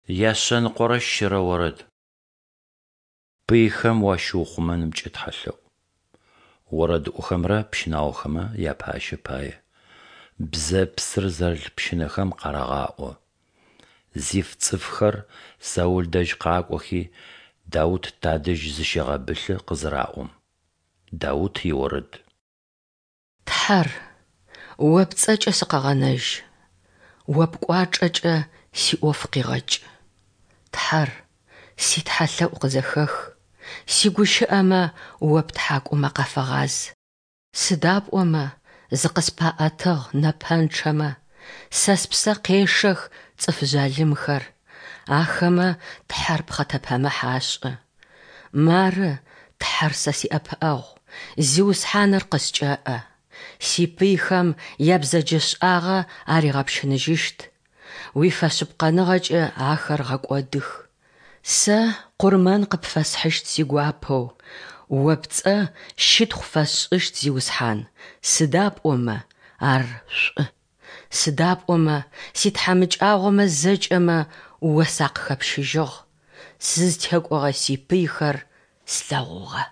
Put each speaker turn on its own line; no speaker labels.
103 орэд. Пыйхэм уащиухъумэнымкӏэ тхьэлъэӏу. Орэдыӏохэмрэ пщынаохэмэ япащэ пае. Бзэпсыр зэрылъ пщынэхэм къарагъаӏо. Зиф цӏыфхэр Саул дэжь къакӏохи, Даут тадэжь зыщегъэбылъы къызыраӏом. Даут иорэд.
Тхьэр, О пцӏэкӏэ сыкъэгъэнэжь, О пкӏуачӏэкӏэ сиӏоф къигъэкӏ. Тхьэр, ситхьэлъэӏу къызэхэх, сигущыӏэмэ О птхьакӏумэ къафэгъаз. Сыда пӏомэ зыкъыспаӏэтыгъ нэпэнчъэмэ, сэ спсэ къешэх цӏыф жъалымхэр, ахэмэ Тхьэр пхъэтэпэмыхь ашӏы. Мары, Тхьэр сэ сиӏэпыӏэгъу, Зиусхьаныр къыскӏэӏэ. Сипыйхэм ябзэджэшӏагъэ аригъэпщыныжьыщт, уифэшъыпкъэныгъэкӏэ ахэр гъэкӏодых. Сэ къурмэн къыпфэсхьыщт сигуапэу, О пцӏэ щытхъу фэсшӏыщт, Зиусхьан, сыда пӏомэ ар шӏу. Сыда пӏомэ ситхьамыкӏагъомэ зэкӏэмэ О сакъыхэпщыжьыгъ, сызтекӏогъэ сипыйхэр слъэгъугъэ.